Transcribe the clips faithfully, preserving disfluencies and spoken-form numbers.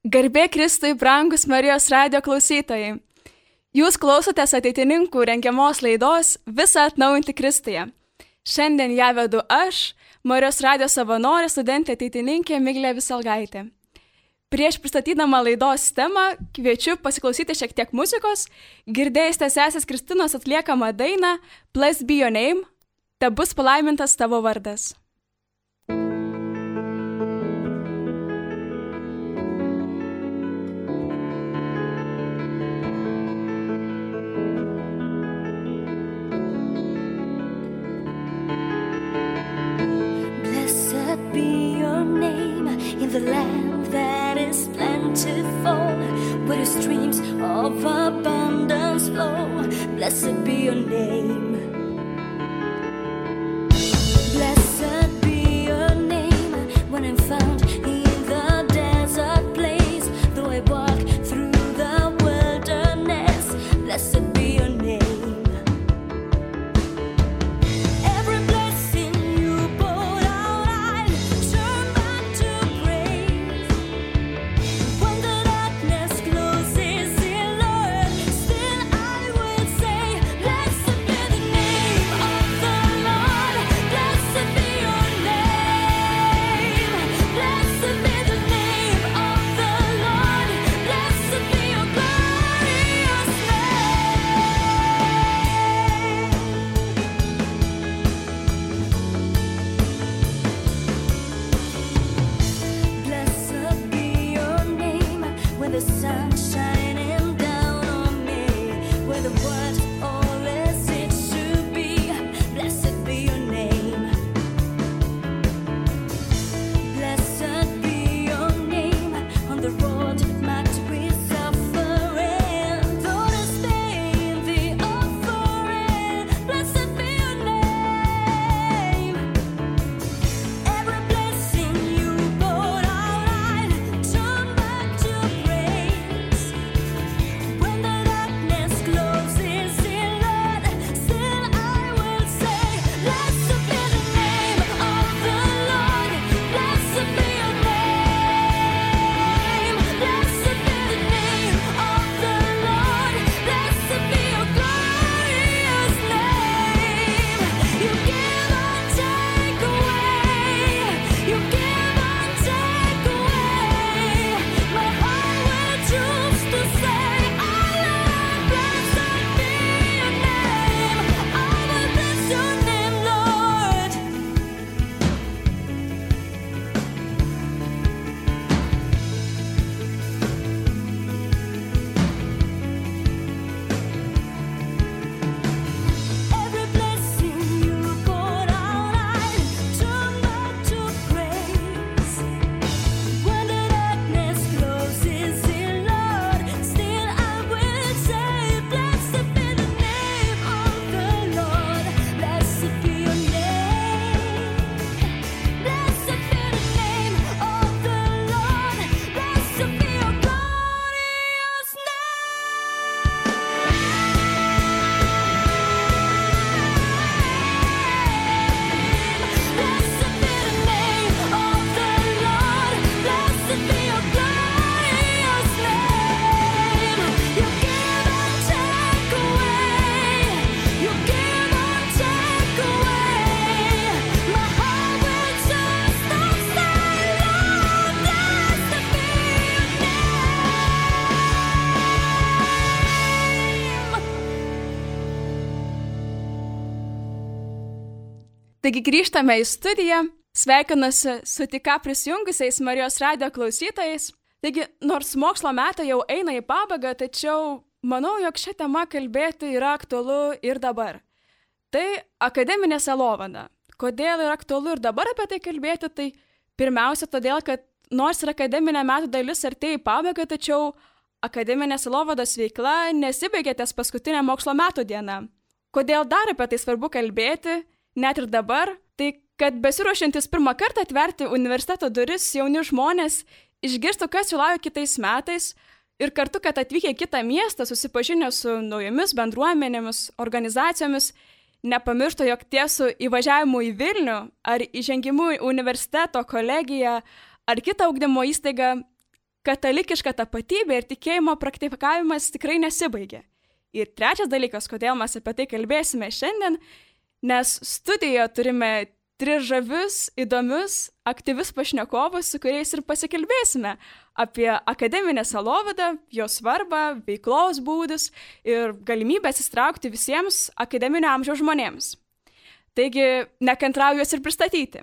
Garbė Kristui, brangus Marijos radijo klausytojai. Jūs klausotės ateitininkų rengiamos laidos Visą atnaujinti Kristuje. Šiandien ją vedu aš, Marijos radijo savanorė, studentė ateitininkė Miglė Visalgaitė. Prieš pristatydama laidos temą kviečiu pasiklausyti šiek tiek muzikos. Girdėjusite sesės Kristinos atliekamą dainą Blessed be your name, te bus palaimintas tavo vardas. The land that is plentiful, where the streams of abundance flow. Blessed be your name. Blessed be your name. When I'm found in the desert place, though I walk through the wilderness, blessed be your name. Taigi grįžtame į studiją, sveikinuosi su tik ką prisijungusiais Marijos radijo klausytojais. Taigi, nors mokslo metai jau eina į pabaigą, tačiau manau, jog šią temą kalbėti yra aktualu ir dabar. Tai akademinė sielovada. Kodėl yra aktualu ir dabar apie tai kalbėti? Tai pirmiausia todėl, kad nors ir akademinė metų dalis artėja į pabaigą, tačiau akademinė sielovados veikla nesibaigė ties paskutinė mokslo metų diena. Kodėl dar apie tai svarbu kalbėti? Net ir dabar, tai kad besiruošiantis pirmą kartą atverti universiteto duris jauni žmonės išgirstų, kas jų laukia kitais metais ir kartu, kad atvykę į kitą miestą, susipažinę su naujomis bendruomenėmis, organizacijomis, nepamirštų, jog tiesų įvažiavimu į Vilnių ar įžengimu į universiteto, kolegiją ar kitą ugdymo įstaigą katalikiška tapatybė ir tikėjimo praktikavimas tikrai nesibaigia. Ir trečias dalykas, kodėl mes apie tai kalbėsime šiandien, nes studijoje turime tris žavius, įdomius, aktyvius pašnekovus, su kuriais ir pasikalbėsime apie akademinę sielovadą, jos svarbą, veiklos būdus ir galimybę įsitraukti visiems akademinio amžiaus žmonėms. Taigi, nekantrauju juos ir pristatyti.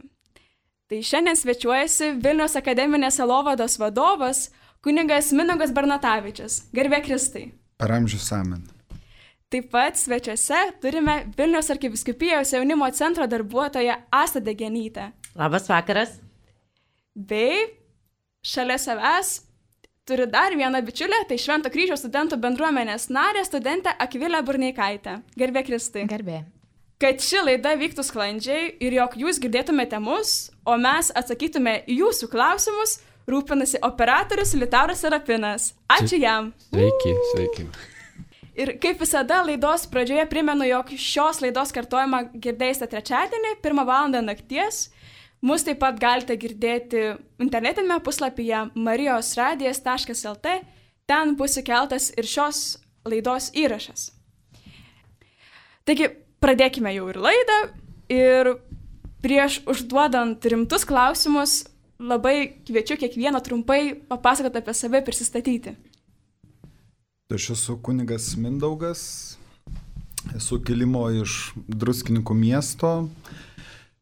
Tai šiandien svečiuojasi Vilniaus akademinės sielovados vadovas, kunigas Mindaugas Bernatavičius. Garbė Kristai. Per amžius amen. Taip pat svečiuose turime Vilniaus arkivyskupijos jaunimo centro darbuotoją Astą Degenytę. Labas vakaras. Bei šalia savęs turiu dar vieną bičiulę, tai Švento Kryžiaus studentų bendruomenės narė, studentė Akvilė Burneikaitė. Garbė Kristai. Garbė. Kad ši laida vyktų sklandžiai ir jog jūs girdėtumėte mus, o mes atsakytume į jūsų klausimus, rūpinasi operatorius Liutauras Serapinas. Ačiū jam. Sveiki, sveiki. Ir kaip visada laidos pradžioje primenu, jog šios laidos kartojimą girdėsite trečiadienį, pirmą valandą nakties. Mus taip pat galite girdėti internetinėme puslapyje marijos radijas taškas el tė. Ten bus įkeltas ir šios laidos įrašas. Taigi, pradėkime jau ir laidą. Ir prieš užduodant rimtus klausimus, labai kviečiu kiekvieną trumpai papasakoti apie save, prisistatyti. Aš esu kunigas Mindaugas, esu kilimo iš Druskininkų miesto.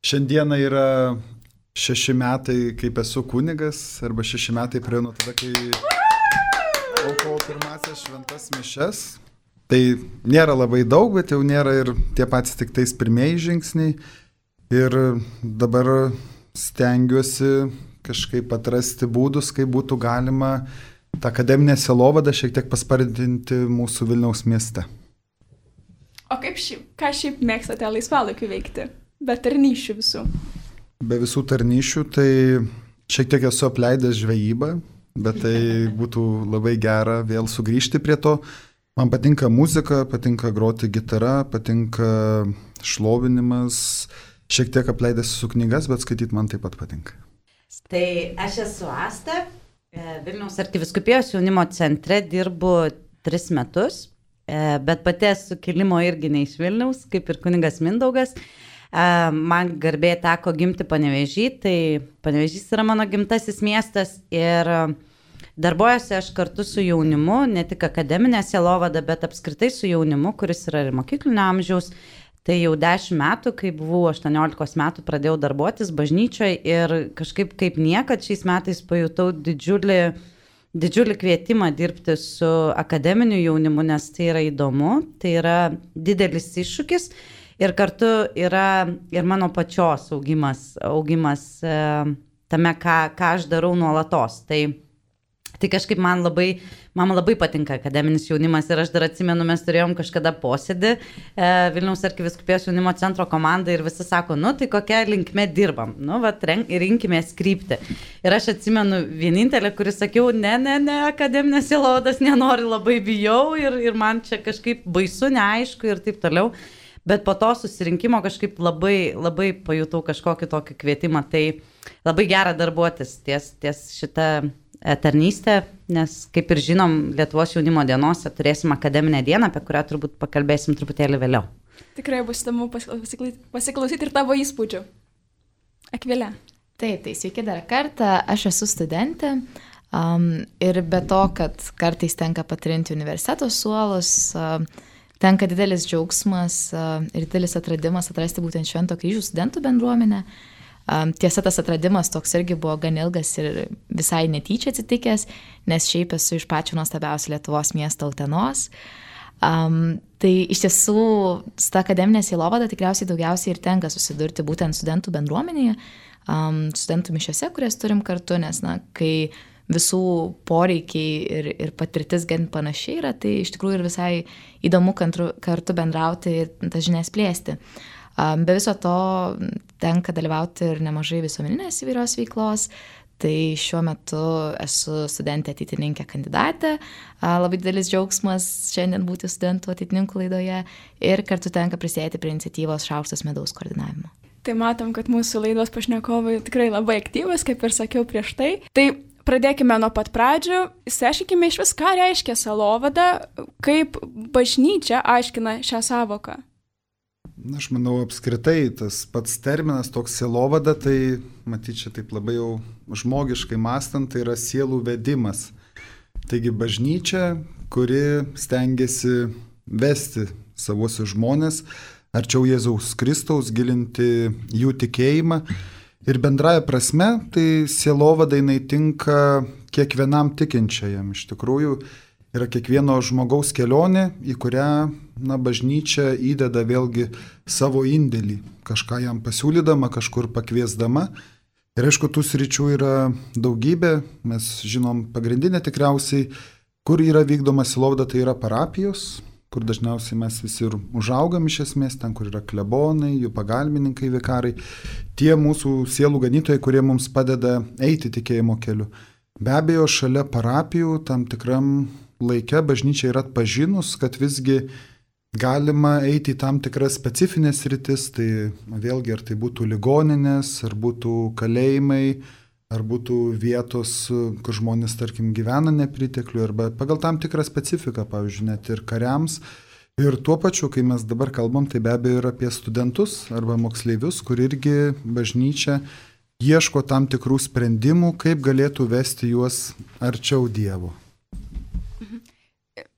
Šiandieną yra šeši metai, kaip esu kunigas, arba šeši metai praėjo nuo tada, kai aukojau pirmasias šventas mišias. Tai nėra labai daug, bet jau nėra ir tie patys tik tais pirmieji žingsniai. Ir dabar stengiuosi kažkaip atrasti būdus, kaip būtų galima tą akademinę sielovadą šiek tiek paspartinti mūsų Vilniaus mieste. O kaip šiaip, ką šiaip mėgstate laisvalaikiu veikti? Be tarnyšių visų. Be visų tarnyšių, tai šiek tiek esu apleidęs žvejybą, bet tai būtų labai gera vėl sugrįžti prie to. Man patinka muzika, patinka groti gitara, patinka šlovinimas, šiek tiek apleidęs su knygas, bet skaityti man taip pat patinka. Tai aš esu Asta. Vilniaus arkivyskupijos jaunimo centre dirbu tris metus, bet pati esu kilimo irgi ne iš Vilniaus, kaip ir kunigas Mindaugas. Man garbė teko gimti Panevėžy, tai Panevėžys yra mano gimtasis miestas ir darbuojuosi aš kartu su jaunimu, ne tik akademinė sielovada, bet apskritai su jaunimu, kuris yra ir mokyklinio amžiaus. Tai jau dešimt metų, kai buvau aštuoniolikos metų, pradėjau darbuotis bažnyčioje ir kažkaip kaip niekad šiais metais pajutau didžiulį, didžiulį kvietimą dirbti su akademiniu jaunimu, nes tai yra įdomu, tai yra didelis iššūkis ir kartu yra ir mano pačios augimas, augimas e, tame, ką, ką aš darau nuolatos. Tai Tai kažkaip man labai, man labai patinka akademinis jaunimas ir aš dar atsimenu, mes turėjom kažkada posėdį e, Vilniaus arkivyskupijos jaunimo centro komanda ir visi sako, nu tai kokia linkme dirbam, nu vat rinkimės kryptį. Ir aš atsimenu vienintelę, kuris sakiau, ne, ne, ne, akademinės sielovados nenori, labai bijau ir, ir man čia kažkaip baisu, neaišku ir taip toliau. Bet po to susirinkimo kažkaip labai, labai pajutau kažkokį tokį kvietimą, tai labai gera darbuotis ties, ties šitą tarnystę, nes kaip ir žinom, Lietuvos jaunimo dienose turėsim akademinę dieną, apie kurią turbūt pakalbėsim truputėlį vėliau. Tikrai bus įdomu pasiklausyti ir tavo įspūdžių. Akvilė. Taip, tai sveiki dar kartą, aš esu studentė um, ir be to, kad kartais tenka patrinti universiteto suolus, uh, tenka didelis džiaugsmas uh, ir didelis atradimas atrasti būtent Švento Kryžiaus studentų bendruomenę. Um, tiesa, tas atradimas toks irgi buvo gan ilgas ir visai netyčia atsitikęs, nes šiaip esu iš pačio nuostabiausio Lietuvos miesto Utenos. Um, tai iš tiesų, su ta akademinė sielovada tikriausiai daugiausiai ir tenka susidurti būtent studentų bendruomenėje, um, studentų mišiose, kurias turim kartu, nes, na, kai visų poreikiai ir, ir patirtis gan panašiai yra, tai iš tikrųjų ir visai įdomu kartu, kartu bendrauti ir tas žinias plėsti. Be viso to tenka dalyvauti ir nemažai visuomeninės įvairios veiklos, tai šiuo metu esu studentė ateitininkė kandidatė, labai didelis džiaugsmas šiandien būti studentų ateitininkų laidoje ir kartu tenka prisidėti prie iniciatyvos Šaukštas medaus koordinavimo. Tai matom, kad mūsų laidos pašnekovai tikrai labai aktyvus, kaip ir sakiau prieš tai. Tai pradėkime nuo pat pradžių, išsiaiškinkime iš vis, ką reiškia sielovada, kaip bažnyčia aiškina šią savoką. Aš manau, apskritai tas pats terminas toks sielovada, tai matyt, čia taip labai jau žmogiškai mąstant, tai yra sielų vedimas. Taigi bažnyčia, kuri stengiasi vesti savuosius žmonės arčiau Jėzaus Kristaus, gilinti jų tikėjimą. Ir bendraja prasme, tai sielovada jinai tinka kiekvienam tikinčiajam. Iš tikrųjų, yra kiekvieno žmogaus kelionė, į kurią na, bažnyčia įdeda vėlgi savo indėlį, kažką jam pasiūlydama, kažkur pakviesdama. Ir aišku, tų sričių yra daugybė, mes žinom pagrindinė tikriausiai, kur yra vykdoma sielovada, tai yra parapijos, kur dažniausiai mes visi ir užaugam iš esmės, ten, kur yra klebonai, jų pagalbininkai, vikarai, tie mūsų sielų ganytojai, kurie mums padeda eiti tikėjimo keliu. Be abejo, šalia parapijų tam tikram laike bažnyčia yra atpažinus, kad visgi galima eiti į tam tikras specifinės rytis, tai vėlgi ar tai būtų ligoninės, ar būtų kalėjimai, ar būtų vietos, kur žmonės, tarkim, gyvena nepriteklių, arba pagal tam tikrą specifiką, pavyzdžiui, net ir kariams. Ir tuo pačiu, kai mes dabar kalbam, tai be abejo ir apie studentus arba moksleivius, kur irgi bažnyčia ieško tam tikrų sprendimų, kaip galėtų vesti juos arčiau Dievo.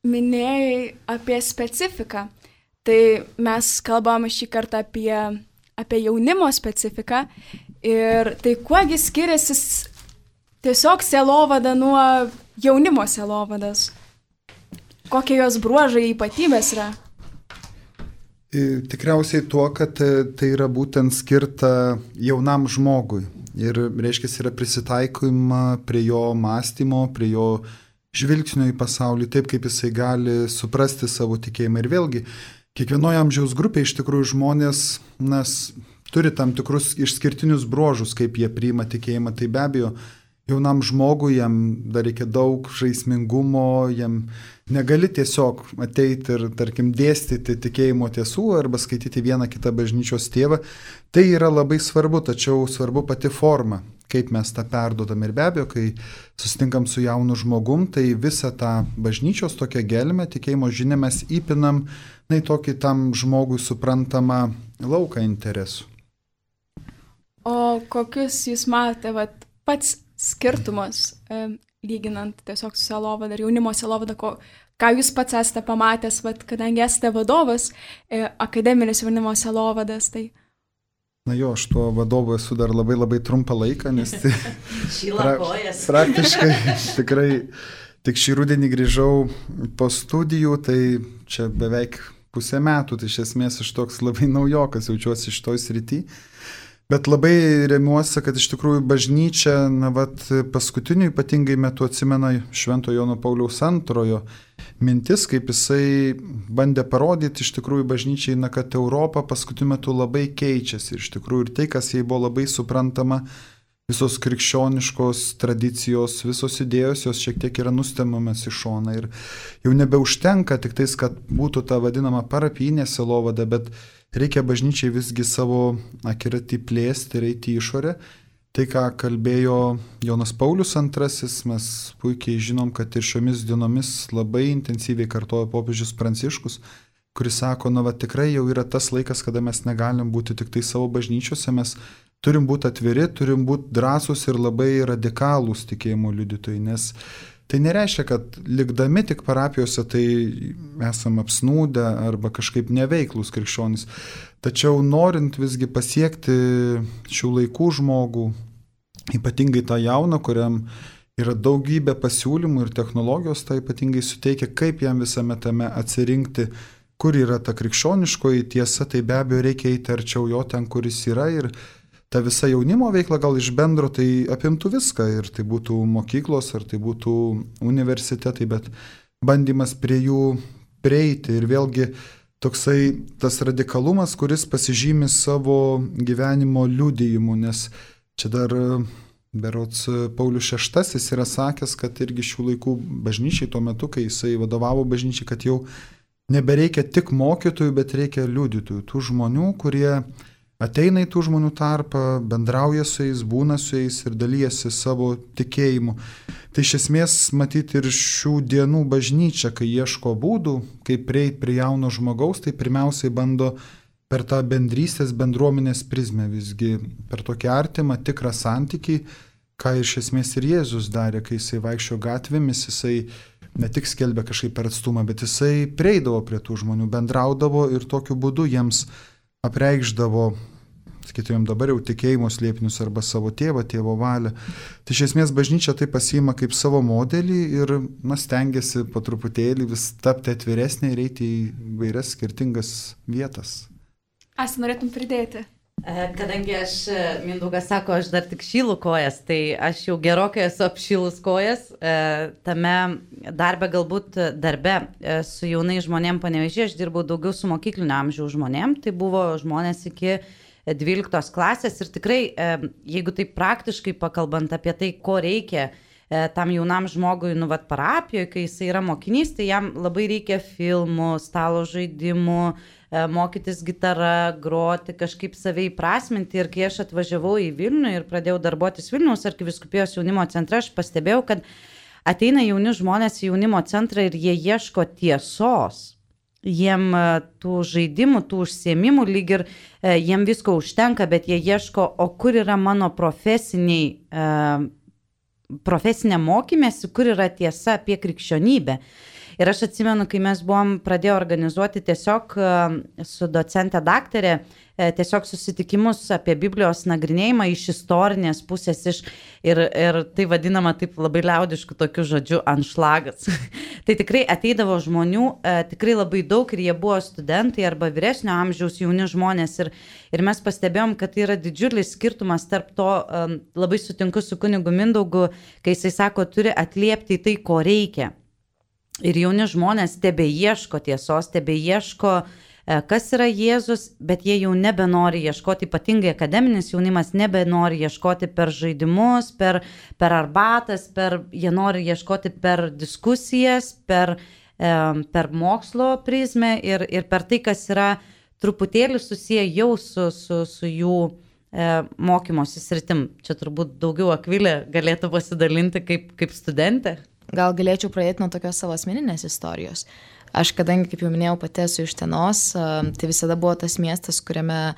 Minėjai apie specifiką, tai mes kalbam šį kartą apie, apie jaunimo specifiką ir tai kuogi skiriasi tiesiog sielovada nuo jaunimo sielovadas, kokie jos bruožai ypatybės yra? Tikriausiai tuo, kad tai yra būtent skirta jaunam žmogui ir reiškia yra prisitaikymą prie jo mąstymo, prie jo žvilgsnio į pasaulį, taip kaip jisai gali suprasti savo tikėjimą. Ir vėlgi, kiekvienoje amžiaus grupėje iš tikrųjų žmonės nas, turi tam tikrus išskirtinius bruožus, kaip jie priima tikėjimą. Tai be abejo, jaunam žmogui jam dar reikia daug žaismingumo, jam negali tiesiog ateiti ir, tarkim, dėstyti tikėjimo tiesų arba skaityti vieną kitą bažnyčios tėvą. Tai yra labai svarbu, tačiau svarbu pati forma, kaip mes tą perdodam. Ir be abejo, kai susitinkam su jaunu žmogum, tai visą tą bažnyčios tokią gelmę, tikėjimo žinią mes įpinam, na, į tokį tam žmogui suprantamą lauką interesų. O kokius jūs matote, vat, pats skirtumas, e, lyginant tiesiog su sielovada ir jaunimo sielovada, ko, ką jūs pats esate pamatęs, vat, kadangi esate vadovas, e, akademinis jaunimo sielovadas, tai... Na jo, aš tuo vadovu esu dar labai labai trumpą laiką, nes tai pra, praktiškai tikrai tik šį rudenį grįžau po studijų, tai čia beveik pusę metų, tai iš esmės aš toks labai naujokas jaučiuosi šitoj srity. Bet labai remiuosi, kad iš tikrųjų bažnyčia, na, vat, paskutiniu ypatingai metu atsimena Švento Jono Pauliaus antrojo mintis, kaip jisai bandė parodyti iš tikrųjų bažnyčiai, na, kad Europa paskutiniu metu labai keičiasi. Ir iš tikrųjų ir tai, kas jai buvo labai suprantama, visos krikščioniškos tradicijos, visos idėjos, jos šiek tiek yra nustemamas į šoną. Ir jau nebeužtenka tik tais, kad būtų ta vadinama parapijinė sielovada, bet reikia bažnyčiai visgi savo akiratį plėsti ir eiti į išorę. Tai, ką kalbėjo Jonas Paulius antrasis, mes puikiai žinom, kad ir šiomis dienomis labai intensyviai kartoja popiežius Pranciškus, kuris sako, na, va, tikrai jau yra tas laikas, kada mes negalim būti tik tai savo bažnyčiose, mes turim būti atviri, turim būti drąsūs ir labai radikalūs tikėjimo liudytojai, nes tai nereiškia, kad likdami tik parapijose tai esam apsnūdę arba kažkaip neveiklus krikščionys. Tačiau norint visgi pasiekti šių laikų žmogų, ypatingai tą jauną, kuriam yra daugybė pasiūlymų ir technologijos, tai ypatingai suteikia, kaip jam visame tame atsirinkti, kur yra ta krikščioniškoji tiesa, tai be abejo reikia eiti arčiau jo ten, kur jis yra. Ir ta visa jaunimo veikla gal iš bendro tai apimtų viską, ir tai būtų mokyklos, ar tai būtų universitetai, bet bandymas prie jų prieiti. Ir vėlgi toksai tas radikalumas, kuris pasižymi savo gyvenimo liudijimu, nes čia dar berods Paulius šeštasis yra sakęs, kad irgi šių laikų bažnyčiai tuo metu, kai jisai vadovavo bažnyčiai, kad jau nebereikia tik mokytojų, bet reikia liudytojų, tų žmonių, kurie ateina į tų žmonių tarpą, bendrauja su jais, būna su jais ir dalyjasi savo tikėjimu. Tai iš esmės matyti ir šių dienų bažnyčia, kai ieško būdų, kaip prieiti prie jauno žmogaus, tai pirmiausiai bando per tą bendrystės bendruomenės prizmę, visgi per tokį artimą, tikrą santykį, ką iš esmės ir Jėzus darė, kai jisai vaikščio gatvėmis, jisai ne tik skelbė kažkaip per atstumą, bet jisai prieidavo prie tų žmonių, bendraudavo ir tokiu būdu jiems apreikšdavo, sakytumėm dabar jau tikėjimo slėpinius arba savo tėvą, tėvo valią. Tai iš esmės bažnyčia tai pasiima kaip savo modelį ir na, stengiasi po truputėlį vis tapti atviresnė ir eiti į vairias skirtingas vietas. Asta, norėtum pridėti? Kadangi aš, Mindaugas sako, aš dar tik šylu kojas, tai aš jau gerokai esu apšylus kojas. Tame darbe, galbūt darbe su jaunai žmonėm Panevėžyje, aš dirbau daugiau su mokyklinio amžiaus žmonėm, tai buvo žmonės iki dvyliktos klasės ir tikrai, jeigu taip praktiškai pakalbant apie tai, ko reikia tam jaunam žmogui, nu, vat, parapijoje, kai jis yra mokinys, tai jam labai reikia filmų, stalo žaidimų, mokytis gitarą, groti, kažkaip save įprasminti. Ir kai aš atvažiavau į Vilnių ir pradėjau darbuotis Vilniaus arkivyskupijos jaunimo centre, aš pastebėjau, kad ateina jauni žmonės į jaunimo centrą ir jie ieško tiesos. Jiem tų žaidimų, tų užsiėmimų lyg ir jiem visko užtenka, bet jie ieško, o kur yra mano profesiniai, profesinė mokymėsi, kur yra tiesa apie krikščionybę. Ir aš atsimenu, kai mes buvom pradėję organizuoti tiesiog su docente daktarė, tiesiog susitikimus apie Biblijos nagrinėjimą iš istorinės pusės, iš, ir, ir tai vadinama taip labai liaudišku tokiu žodžiu anšlagas. Tai tikrai ateidavo žmonių, tikrai labai daug ir jie buvo studentai arba vyresnio amžiaus jauni žmonės ir, ir mes pastebėjom, kad tai yra didžiulis skirtumas tarp to, labai sutinku su kunigu Mindaugu, kai jisai sako, turi atliepti į tai, ko reikia. Ir jauni žmonės tebe ieško tiesos, tebe ieško, kas yra Jėzus, bet jie jau nebenori ieškoti, ypatingai akademinis jaunimas nebenori ieškoti per žaidimus, per, per arbatas, per, jie nori ieškoti per diskusijas, per, per mokslo prizmę ir, ir per tai, kas yra truputėlį susiję jau su, su, su jų mokymosi sritim. Čia turbūt daugiau Akvilė galėtų pasidalinti kaip, kaip studentė. Gal galėčiau pradėti nuo tokios savo asmeninės istorijos. Aš, kadangi, kaip jau minėjau, pati esu iš Utenos, tai visada buvo tas miestas, kuriame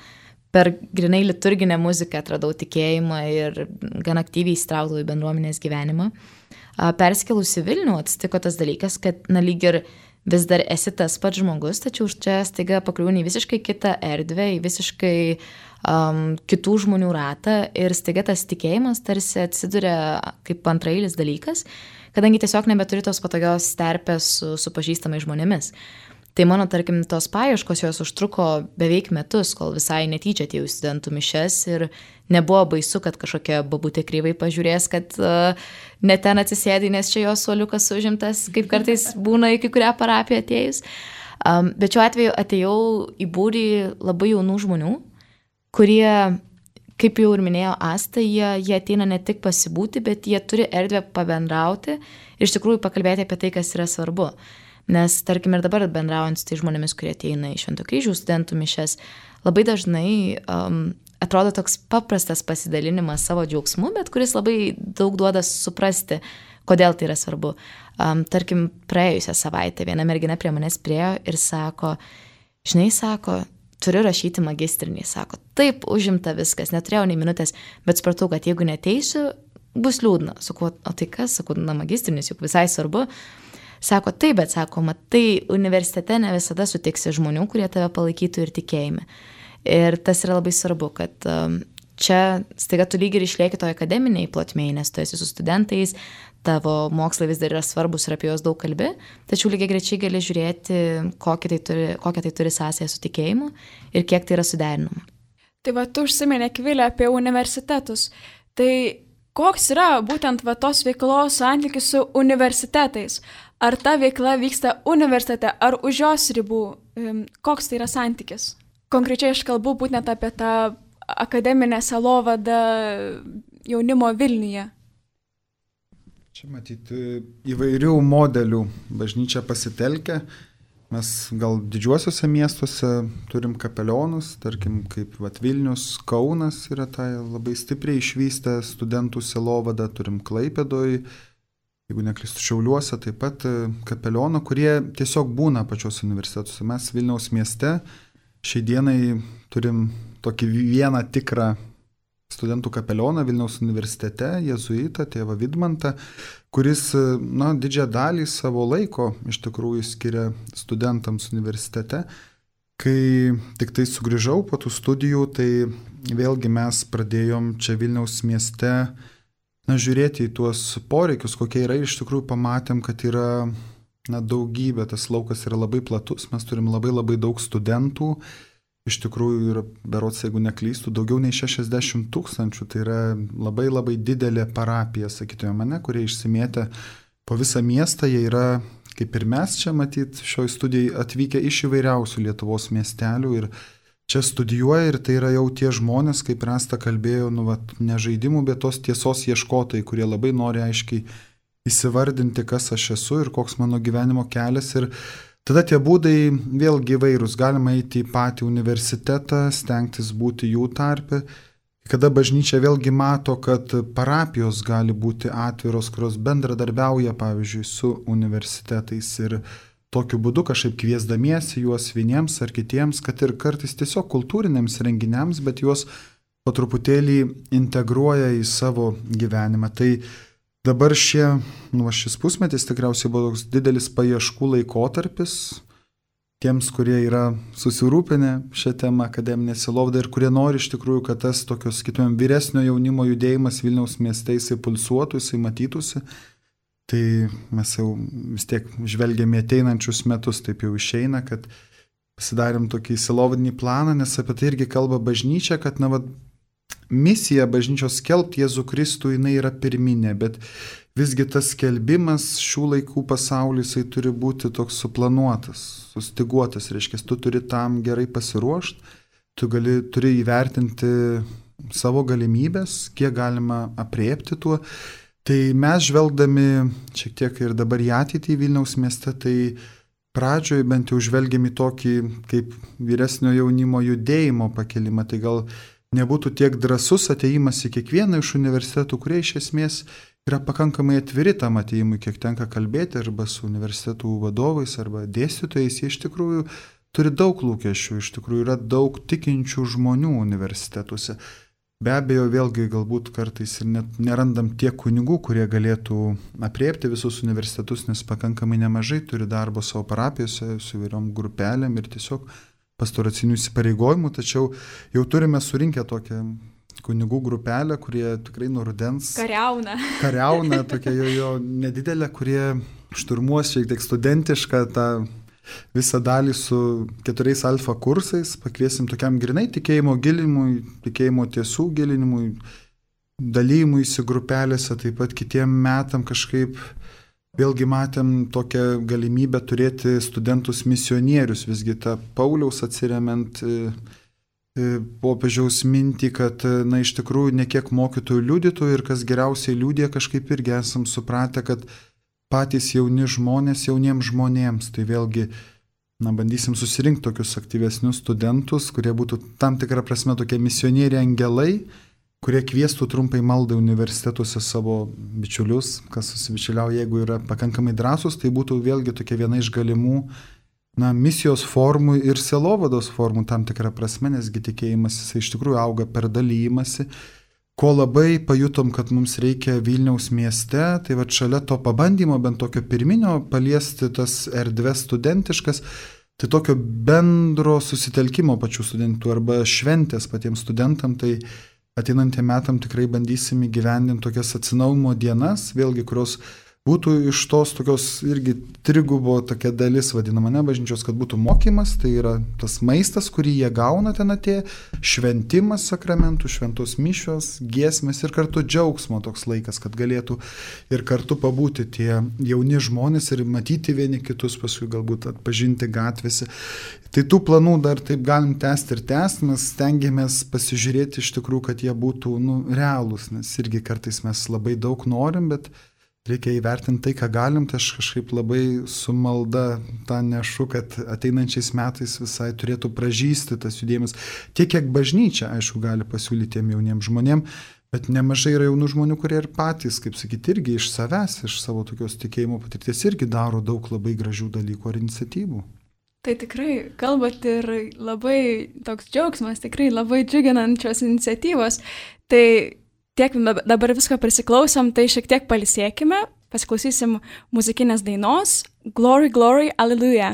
per grinai liturginę muziką atradau tikėjimą ir gan aktyviai įsitraukdavau į bendruomenės gyvenimą. Perskėlus į Vilnių atsitiko tas dalykas, kad, na, lyg ir vis dar esi tas pats žmogus, tačiau čia staiga pakliūni į visiškai kitą erdvę, į visiškai um, kitų žmonių ratą ir staiga tas tikėjimas tarsi atsiduria kaip antrailis dalykas, kadangi tiesiog nebeturi tos patogios terpės su, su pažįstamai žmonėmis. Tai mano, tarkim, tos paieškos jos užtruko beveik metus, kol visai netyčia atėjau į studentų mišias ir nebuvo baisu, kad kažkokia babutė kryvai pažiūrės, kad uh, ne ten atsisėdai, nes čia jos suoliukas užimtas, kaip kartais būna į kai kurią parapiją atėjus. Um, bet šiuo atveju atėjau į būrį labai jaunų žmonių, kurie, kaip jau ir minėjo Asta, jie, jie ateina ne tik pasibūti, bet jie turi erdvę pabendrauti ir iš tikrųjų pakalbėti apie tai, kas yra svarbu. Nes, tarkim, ir dabar bendraujant su tai žmonėmis, kurie ateina į Švento kryžiaus studentų mišias, labai dažnai um, atrodo toks paprastas pasidalinimas savo džiaugsmu, bet kuris labai daug duoda suprasti, kodėl tai yra svarbu. Um, tarkim, praėjusią savaitę viena mergina prie manęs priėjo ir sako, žinai, sako, turiu rašyti magistrinį, sako, taip, užimta viskas, neturėjau nei minutės, bet supratau, kad jeigu neteisiu, bus liūdna. Sakau, o tai kas, sakau, na, magistrinis juk visai svarbu. Sako, taip, bet sako, matai, universitete ne visada sutiksi žmonių, kurie tave palaikytų ir tikėjime. Ir tas yra labai svarbu, kad um, čia staiga tu lyg ir išlieki toje akademiniai plotmėje, nes tu esi su studentais, tavo mokslai vis dar yra svarbus ir apie juos daug kalbi, tačiau lygiai grečiai gali žiūrėti, kokią tai turi, kokią tai turi sąsają su tikėjimu ir kiek tai yra suderinama. Tai va, tu užsiminė, Akvilė, apie universitetus. Tai koks yra būtent va tos veiklos santykis su universitetais? Ar ta veikla vyksta universitete, ar už jos ribų? Koks tai yra santykis? Konkrečiai aš kalbu būtent apie tą akademinę sielovadą jaunimo Vilniuje. Čia matyti įvairių modelių bažnyčia pasitelkia. mes gal didžiuosiuose miestuose turim kapelionus, tarkim, kaip vat, Vilnius, Kaunas yra tai labai stipriai išvystę studentų sielovadą, turim Klaipėdoj, jeigu neklystu Šiauliuose, taip pat kapelionų, kurie tiesiog būna pačios universitetuose. Mes Vilniaus mieste šiai dienai turim tokį vieną tikrą studentų kapelioną Vilniaus universitete, jėzuitą, tėvą Vidmantą, kuris, na, didžiąją dalį savo laiko iš tikrųjų skiria studentams universitete. Kai tik tai sugrįžau po tų studijų, tai vėlgi mes pradėjom čia Vilniaus mieste, na, žiūrėti į tuos poreikius, kokie yra, ir iš tikrųjų pamatėm, kad yra, na, daugybė, tas laukas yra labai platus, mes turim labai labai daug studentų. Iš tikrųjų yra, berods, jeigu neklystu, daugiau nei šešiasdešimt tūkstančių, tai yra labai labai didelė parapija, sakytume mane, kurie išsimėtę po visą miestą, jie yra, kaip ir mes čia matyt, šioj studijai atvykę iš įvairiausių Lietuvos miestelių ir čia studijuoja, ir tai yra jau tie žmonės, kaip Rasta kalbėjo, nu, vat, ne žaidimų, bet tos tiesos ieškotojai, kurie labai nori aiškiai įsivardinti, kas aš esu ir koks mano gyvenimo kelias. Ir tada tie būdai vėlgi įvairūs. Galima eiti į patį universitetą, stengtis būti jų tarpe. Kada bažnyčia vėlgi mato, kad parapijos gali būti atviros, kurios bendradarbiauja, pavyzdžiui, su universitetais ir tokiu būdu kažkaip kviesdamiesi juos vieniems ar kitiems, kad ir kartais tiesiog kultūriniams renginiams, bet juos po truputėlį integruoja į savo gyvenimą. Tai dabar šie, nu, šis pusmetis tikriausiai buvo toks didelis paieškų laikotarpis tiems, kurie yra susirūpinę šią temą akademinę sielovadą ir kurie nori iš tikrųjų, kad tas tokios, kitumėm, vyresnio jaunimo judėjimas Vilniaus mieste jisai pulsuotų, jisai matytųsi. Tai mes jau vis tiek žvelgiame ateinančius metus, taip jau išeina, kad pasidarėm tokį sielovadinį planą, nes apie tai irgi kalba bažnyčia, kad, na, va, misija bažnyčios skelbti Jėzų Kristų, jinai yra pirminė, bet visgi tas skelbimas šių laikų pasaulyje, jisai turi būti toks suplanuotas, sustiguotas, reiškia, tu turi tam gerai pasiruošti, tu gali, turi įvertinti savo galimybės, kiek galima apriepti tuo. Tai mes žvelgdami šiek tiek ir dabar į ateitį Vilniaus mieste, tai pradžioje bent jau žvelgiam į tokį kaip vyresnio jaunimo judėjimo pakelimą, tai gal nebūtų tiek drąsus atėjimas į kiekvieną iš universitetų, kurie iš esmės yra pakankamai atviri tam atėjimui, kiek tenka kalbėti arba su universitetų vadovais arba dėstytojais, jie iš tikrųjų turi daug lūkesčių, iš tikrųjų yra daug tikinčių žmonių universitetuose. Be abejo, vėlgi galbūt kartais ir net nerandam tiek kunigų, kurie galėtų apriepti visus universitetus, nes pakankamai nemažai turi darbo savo parapijose, su įvairiom grupelėm ir tiesiog pastoracinių įsipareigojimų, tačiau jau turime surinkę tokią kunigų grupelę, kurie tikrai nuo rudens kariauna. Kariauna, tokia jo, jo nedidelė, kurie šturmuos šiek tiek studentišką tą visą dalį su keturiais alfa kursais, pakviesim tokiam grinai tikėjimo gilinimui, tikėjimo tiesų gilinimui, dalymuisi grupelėse, taip pat kitiem metam kažkaip vėlgi matėm tokią galimybę turėti studentus misionierius, visgi tą Pauliaus atsiremiant popiežiaus mintį, kad, na, iš tikrųjų ne kiek mokytojų liudytojų ir kas geriausiai liudija, kažkaip irgi esam supratę, kad patys jauni žmonės jauniems žmonėms, tai vėlgi, na, bandysim susirinkti tokius aktyvesnius studentus, kurie būtų tam tikrą prasme tokie misionieriai angelai, kurie kviestų trumpai maldą universitetuose savo bičiulius, kas susibičiuliauja, jeigu yra pakankamai drąsus, tai būtų vėlgi tokia viena iš galimų, na, misijos formų ir sielovados formų tam tikrą prasme, nesgi tikėjimas jisai iš tikrųjų auga per dalymasi. Ko labai pajutom, kad mums reikia Vilniaus mieste, tai va šalia to pabandymo, bent tokio pirminio, paliesti tas erdves studentiškas, tai tokio bendro susitelkimo pačių studentų arba šventės patiems studentam, tai ateinantiem metam tikrai bandysim įgyvendinti tokias atsinaujinimo dienas, vėlgi, kurios būtų iš tos tokios irgi trigubo tokia dalis vadinama, ne, bažnyčios, kad būtų mokymas, tai yra tas maistas, kurį jie gauna ten atėję, šventimas sakramentų, šventos mišios, giesmės ir kartu džiaugsmo toks laikas, kad galėtų ir kartu pabūti tie jauni žmonės ir matyti vieni kitus, paskui galbūt atpažinti gatvėse. Tai tų planų dar taip galim tęsti ir tęsti, mes stengiamės pasižiūrėti iš tikrųjų, kad jie būtų, nu, realūs, nes irgi kartais mes labai daug norim, bet reikia įvertinti tai, ką galim, tai aš kažkaip labai su malda tą nešu, kad ateinančiais metais visai turėtų pražysti tas judėjimas. Tiek, kiek bažnyčia, aišku, gali pasiūlyti tiem jauniems žmonėms, bet nemažai yra jaunų žmonių, kurie ir patys, kaip sakyti, irgi iš savęs, iš savo tokios tikėjimo patirties irgi daro daug labai gražių dalykų ar iniciatyvų. Tai tikrai kalbat ir labai toks džiaugsmas, tikrai labai džiuginančios iniciatyvos. Tai tiek dabar visko prisiklausom, tai šiek tiek palisėkime, pasiklausysim muzikinės dainos Glory, Glory, Alleluja.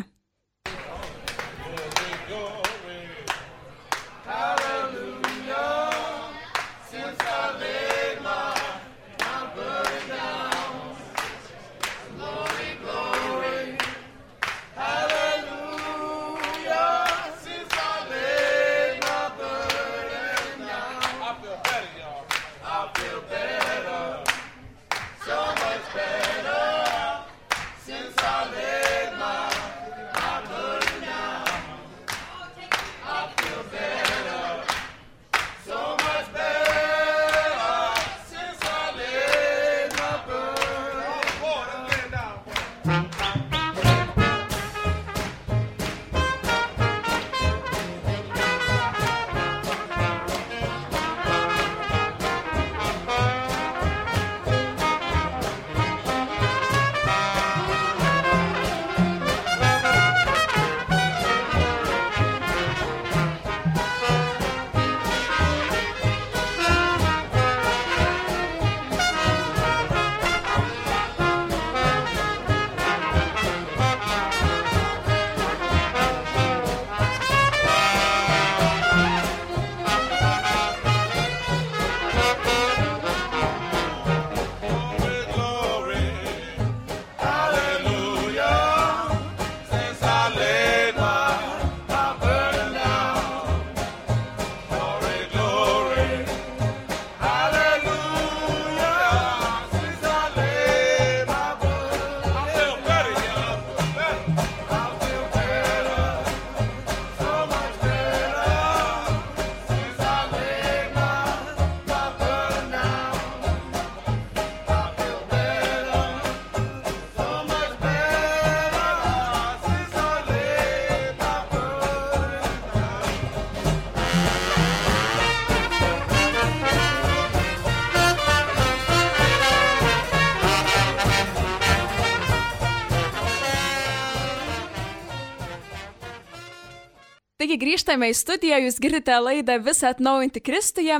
Taigi grįžtame į studiją, jūs girdite laidą Visą atnaujinti Kristuje.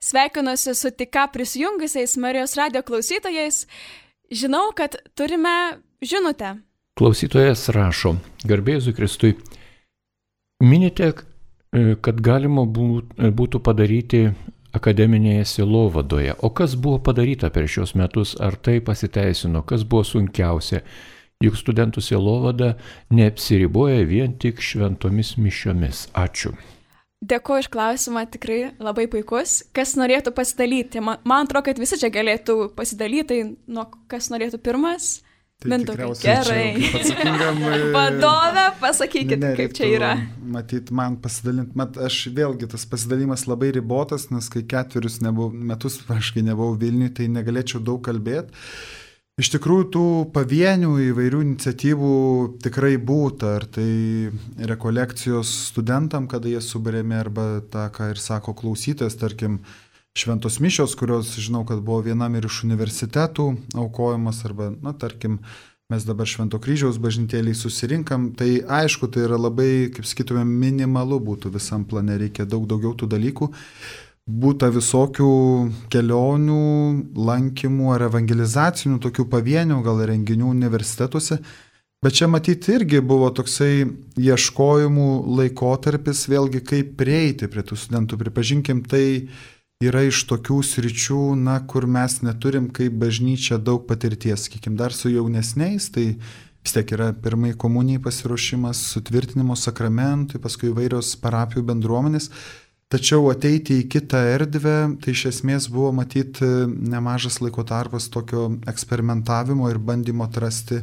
Sveikinuosi su tik ką prisijungusiais Marijos radio klausytojais. Žinau, kad turime žinutę. Klausytojas rašo, garbė Jėzui Kristui, minite, kad galima būtų padaryti akademinėje sielovadoje. O kas buvo padaryta per šios metus, ar tai pasiteisino, kas buvo sunkiausia? Juk studentų sielovada neapsiriboja vien tik šventomis mišiomis. Ačiū. Dėkuoju iš klausimą, tikrai labai puikus. Kas norėtų pasidalyti? Man, man atrodo, kad visi čia galėtų pasidalyti, nuo kas norėtų pirmas. Tai Mindaugai, gerai. Atsakingam Vadovė, pasakykit, ne, kaip čia yra. Matyt, man pasidalinti, mat, aš vėlgi tas pasidalimas labai ribotas, nes kai ketverius nebuvau, metus praškai nebuvau Vilniui, tai negalėčiau daug kalbėti. Iš tikrųjų, tų pavienių įvairių iniciatyvų tikrai būta, ar tai rekolekcijos studentam, kada jie subarėme, arba tą, ką ir sako klausytojas, tarkim, šventos mišios, kurios, žinau, kad buvo vienam ir iš universitetų aukojamas, arba, na, tarkim, mes dabar Švento Kryžiaus bažnytėliai susirinkam, tai aišku, tai yra labai, kaip sakytume, minimalu būtų visam plane, reikia daug daugiau tų dalykų. Būta visokių kelionių, lankymų ar evangelizacinių, tokių pavienių gal renginių universitetuose, bet čia matyti irgi buvo toksai ieškojimų laikotarpis, vėlgi kaip prieiti prie tų studentų. Pripažinkim, tai yra iš tokių sričių, na, kur mes neturim kaip bažnyčia daug patirties, sakykim, dar su jaunesniais, tai vis tiek yra pirmai komunijai pasiruošimas, sutvirtinimo sakramentai, paskui įvairios parapijų bendruomenės. Tačiau ateiti į kitą erdvę, tai iš esmės buvo matyti nemažas laiko tarpas tokio eksperimentavimo ir bandymo atrasti,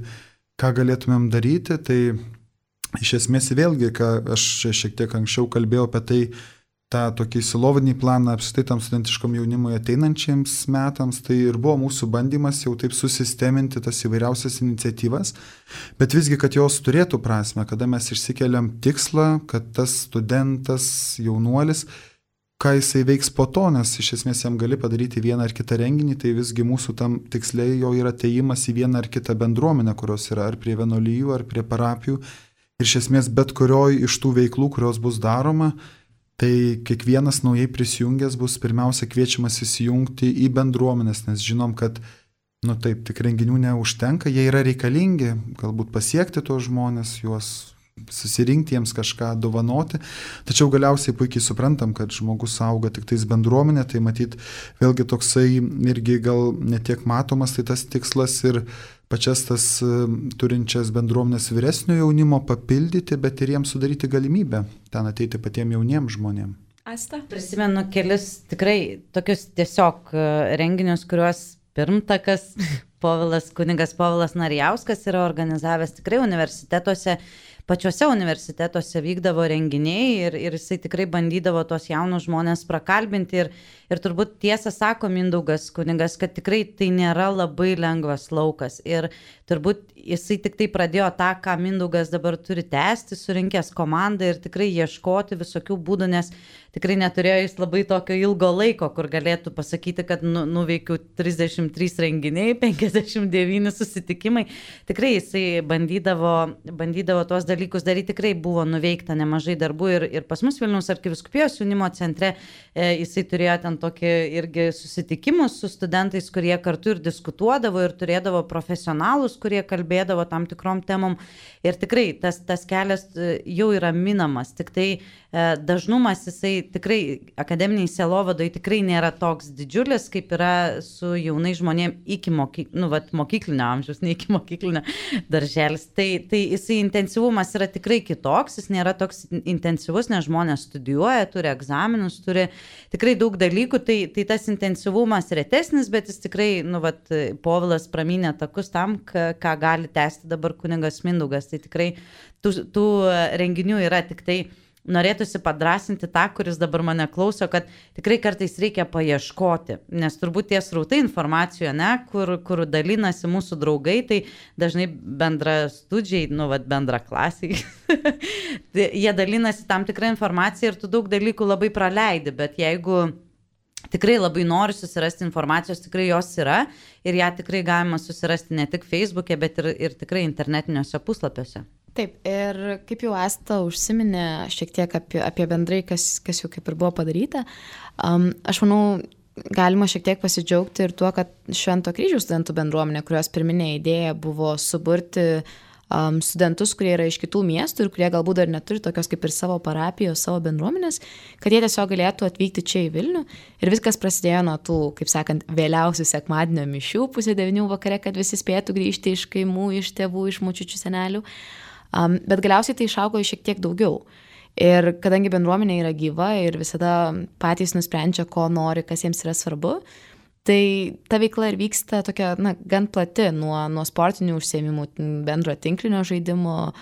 ką galėtumėm daryti. Tai iš esmės vėlgi, ką aš šiek tiek anksčiau kalbėjau apie tai, tą tokį silovadinį planą apskritai tam studentiškom jaunimui ateinančiams metams, tai ir buvo mūsų bandymas jau taip susisteminti tas įvairiausias iniciatyvas, bet visgi, kad jos turėtų prasme, kada mes išsikeliam tikslą, kad tas studentas, jaunuolis, ką jisai veiks po to, nes iš esmės jam gali padaryti vieną ar kitą renginį, tai visgi mūsų tam tiksliai jau yra atėjimas į vieną ar kitą bendruomenę, kurios yra ar prie vienuolijų, ar prie parapijų. Ir iš esmės bet kurioj iš tų veiklų, kurios bus daroma, tai kiekvienas naujai prisijungęs bus pirmiausia kviečiamas įsijungti į bendruomenės, nes žinom, kad, nu taip, tik renginių neužtenka, jie yra reikalingi, galbūt pasiekti tos žmonės, juos susirinkti, jiems kažką dovanoti, tačiau galiausiai puikiai suprantam, kad žmogus auga tik tais bendruomenė, tai matyt vėlgi toksai irgi gal netiek matomas, tai tas tikslas ir pačias tas turinčias bendruomenės vyresnio jaunimo papildyti, bet ir jiems sudaryti galimybę ten ateiti patiem jauniems žmonėms. Asta? Prisimenu kelis tikrai tokius tiesiog renginius, kuriuos pirmtakas Povilas, kunigas Povilas Narijauskas yra organizavęs tikrai universitetuose. Pačiuose universitetuose vykdavo renginiai ir, ir jisai tikrai bandydavo tos jaunus žmonės prakalbinti ir, ir turbūt tiesą sako Mindaugas kunigas, kad tikrai tai nėra labai lengvas laukas ir turbūt jisai tik tai pradėjo tą, ką Mindaugas dabar turi tęsti, surinkęs komandą ir tikrai ieškoti visokių būdų, nes tikrai neturėjo jis labai tokio ilgo laiko, kur galėtų pasakyti, kad nu, nuveikiau trisdešimt trys renginiai, penkiasdešimt devyni susitikimai. Tikrai jisai bandydavo, bandydavo tuos dalykus daryti, tikrai buvo nuveikta nemažai darbų ir, ir pas mus Vilniaus arkivyskupijos jaunimo centre e, jisai turėjo ten tokį irgi susitikimus su studentais, kurie kartu ir diskutuodavo ir turėdavo profesionalus, kurie kalbėdavo tam tikrom temom ir tikrai tas, tas kelias jau yra minamas, tik tai e, dažnumas jisai tikrai akademiniai sielovadoj tikrai nėra toks didžiulis, kaip yra su jaunai žmonėm iki moky, nu, vat, mokyklinio amžiaus, ne iki mokyklinio darželis. Tai, tai jisai intensyvumas yra tikrai kitoks, jis nėra toks intensyvus, nes žmonės studijuoja, turi egzaminus, turi tikrai daug dalykų, tai, tai tas intensyvumas retesnis, bet jis tikrai, nu, vat, Povilas pramynė takus tam, ką, ką gali tęsti dabar kunigas Mindaugas. Tai tikrai tų, tų renginių yra tik tai norėtųsi padrasinti tą, kuris dabar mane klauso, kad tikrai kartais reikia paieškoti, nes turbūt tie srautai informacijoje, ne, kur, kur dalinasi mūsų draugai, tai dažnai bendra studžiai, nu, vat, bendra klasiai, jie dalinasi tam tikrą informaciją ir tu daug dalykų labai praleidi, bet jeigu tikrai labai nori susirasti informacijos, tikrai jos yra ir ją tikrai galima susirasti ne tik Facebook'e, bet ir, ir tikrai internetiniuose puslapiuose. Taip, ir kaip jau Asta užsiminė šiek tiek apie, apie bendrai, kas, kas jau kaip ir buvo padaryta, um, aš manau, galima šiek tiek pasidžiaugti ir tuo, kad Švento kryžiaus studentų bendruomenė, kurios pirminė idėja buvo suburti um, studentus, kurie yra iš kitų miestų ir kurie galbūt dar neturi tokios kaip ir savo parapijos, savo bendruomenės, kad jie tiesiog galėtų atvykti čia į Vilnių. Ir viskas prasidėjo nuo tų, kaip sakant, vėliausių sekmadienio mišių pusė devynių vakare, kad visi spėtų grįžti iš kaimų, iš tėvų, iš močiučių, senelių. Um, bet galiausiai tai išaugo šiek tiek daugiau. Ir kadangi bendruomenė yra gyva ir visada patys nusprendžia, ko nori, kas jiems yra svarbu, tai ta veikla ir vyksta tokia, na, gan plati, nuo, nuo sportinių užsiėmimų, bendro tinklinio žaidimo,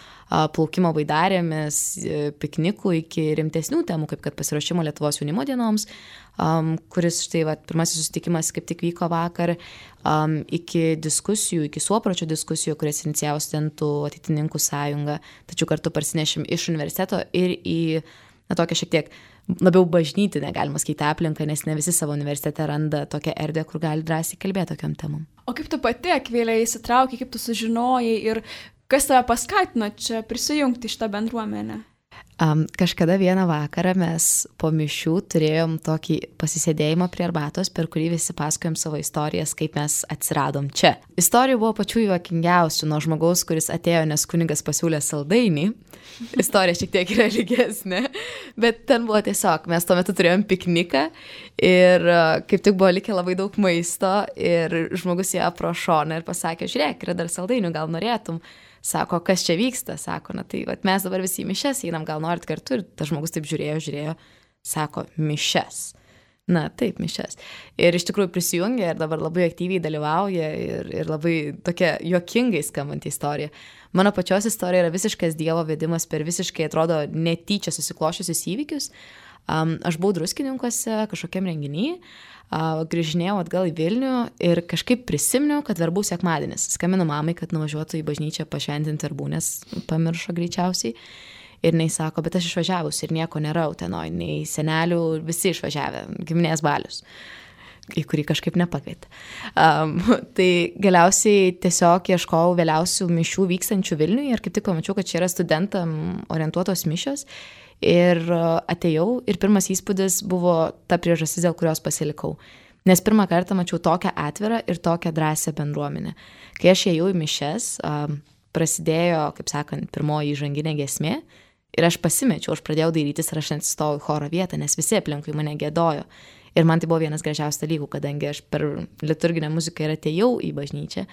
plaukimo baidarėmis, piknikų iki rimtesnių temų, kaip kad pasiruošimo Lietuvos jaunimo dienoms, um, kuris štai va, pirmasis susitikimas kaip tik vyko vakar, um, iki diskusijų, iki suopročio diskusijų, kurias inicijavo studentų ateitininkų sąjunga, tačiau kartu parsinešim iš universiteto ir į na, tokią šiek tiek labiau bažnytinę, galima skaityti aplinką, nes ne visi savo universitete randa tokią erdvę, kur gali drąsiai kalbėti tokiam temam. O kaip tu pati, Akvilė, įsitraukai, kaip tu sužinojai ir kas tave paskatino čia prisijungti šitą bendruomenę? Um, kažkada vieną vakarą mes po mišių turėjom tokį pasisėdėjimą prie arbatos, per kurį visi pasakojom savo istorijas, kaip mes atsiradom čia. Istorijų buvo pačių juokingiausių, nuo žmogaus, kuris atėjo, nes kunigas pasiūlė saldainį. Istorija šiek tiek yra lygesnė, bet ten buvo tiesiog, mes tuo metu turėjom pikniką ir kaip tik buvo likę labai daug maisto ir žmogus ją pro šoną ir pasakė, žiūrėk, yra dar saldainių, gal norėtum. Sako, kas čia vyksta, sako, na tai vat, mes dabar visi į mišes einam, gal norit kartu, ir tas žmogus taip žiūrėjo, žiūrėjo, sako, mišes. Na taip, mišes. Ir iš tikrųjų prisijungė ir dabar labai aktyviai dalyvauja ir, ir labai tokia juokingai skambanti istorija. Mano pačios istorija yra visiškas Dievo vedimas per visiškai, atrodo, netyčia susiklošiusius įvykius. Um, aš buvau Druskininkuose kažkokiam renginyje, uh, grįžinėjau atgal į Vilnių ir kažkaip prisiminiau, kad verbų sekmadienis. Skambinu mamai, kad nuvažiuotų į bažnyčią pašventinti verbų, nes pamiršo greičiausiai. Ir jinai sako, bet aš išvažiavus ir nieko nėra Utenoj, nei senelių, visi išvažiavę, giminės balius, į kurį kažkaip nepakvietė. Um, tai galiausiai tiesiog ieškojau vėliausių mišių vykstančių Vilniuje ir kaip tik pamačiau, kad čia yra studentam orientuotos mišios. Ir atėjau ir pirmas įspūdis buvo ta priežastis, dėl kurios pasilikau. Nes pirmą kartą mačiau tokią atvirą ir tokią drąsią bendruomenę. Kai aš ėjau į mišes, prasidėjo, kaip sakant, pirmoji įžanginė giesmė ir aš pasimečiau, aš pradėjau dairytis ir aš atsistojau į choro vietą, nes visi aplinkui mane gėdojo. Ir man tai buvo vienas gražiausių dalykų, kadangi aš per liturginę muziką ir atėjau į bažnyčią.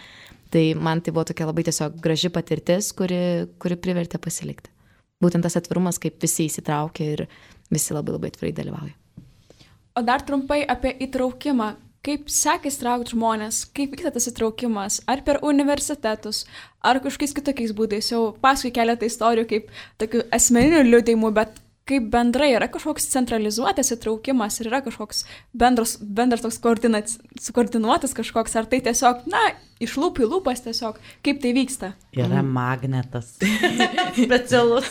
Tai man tai buvo tokia labai tiesiog graži patirtis, kuri, kuri privertė pasilikti. Būtent tas atvirumas, kaip visi įsitraukia ir visi labai labai atvirai dalyvauja. O dar trumpai apie įtraukimą. Kaip sekasi traukti žmonės, kaip vyksta tas įtraukimas, ar per universitetus, ar kažkokiais kitokiais būdais. Jau paskui keletą istorijų kaip tokių asmeninių liudijimų, bet kaip bendrai yra kažkoks centralizuotas įtraukimas ir yra kažkoks bendras, bendras toks koordinac, sukoordinuotas kažkoks, ar tai tiesiog, na, iš lūpų į lūpas tiesiog, kaip tai vyksta? Yra magnetas. Specialus.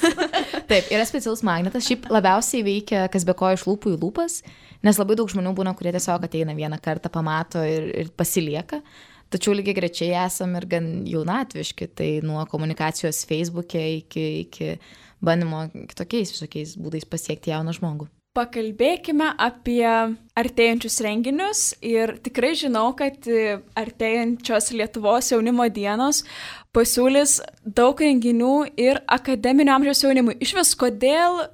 Taip, yra specialus magnetas, šiaip labiausiai veikia, kas be ko iš lūpų į lūpas, nes labai daug žmonių būna, kurie tiesiog ateina vieną kartą, pamato ir, ir pasilieka. Tačiau lygiai grečiai esam ir gan jaunatviški, tai nuo komunikacijos Facebook'e iki, iki bandimo kitokiais visokiais būdais pasiekti jauną žmogų. Pakalbėkime apie artėjančius renginius ir tikrai žinau, kad artėjančios Lietuvos jaunimo dienos pasiūlys daug renginių ir akademinio amžiaus jaunimui. Iš vis, kodėl,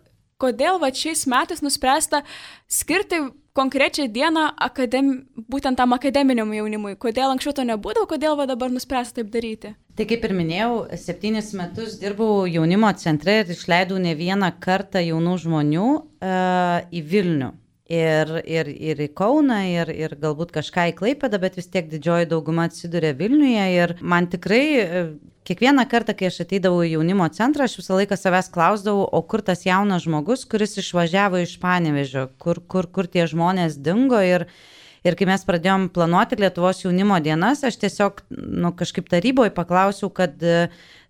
kodėl va šiais metais nuspręsta skirti konkrečią dieną akadem, būtent tam akademiniam jaunimui? Kodėl anksčiau to nebūdavo, kodėl va dabar nuspręsta taip daryti? Tai kaip ir minėjau, septynis metus dirbau jaunimo centre ir išleidau ne vieną kartą jaunų žmonių uh, į Vilnių. Ir, ir, ir į Kauną, ir, ir galbūt kažką į Klaipėdą, bet vis tiek didžioji dauguma atsiduria Vilniuje. Ir man tikrai kiekvieną kartą, kai aš ateidavau į jaunimo centrą, aš visą laiką savęs klausdavau, o kur tas jaunas žmogus, kuris išvažiavo iš Panevėžio, kur, kur, kur tie žmonės dingo. Ir, ir kai mes pradėjom planuoti Lietuvos jaunimo dienas, aš tiesiog nu, kažkaip taryboje paklausiau, kad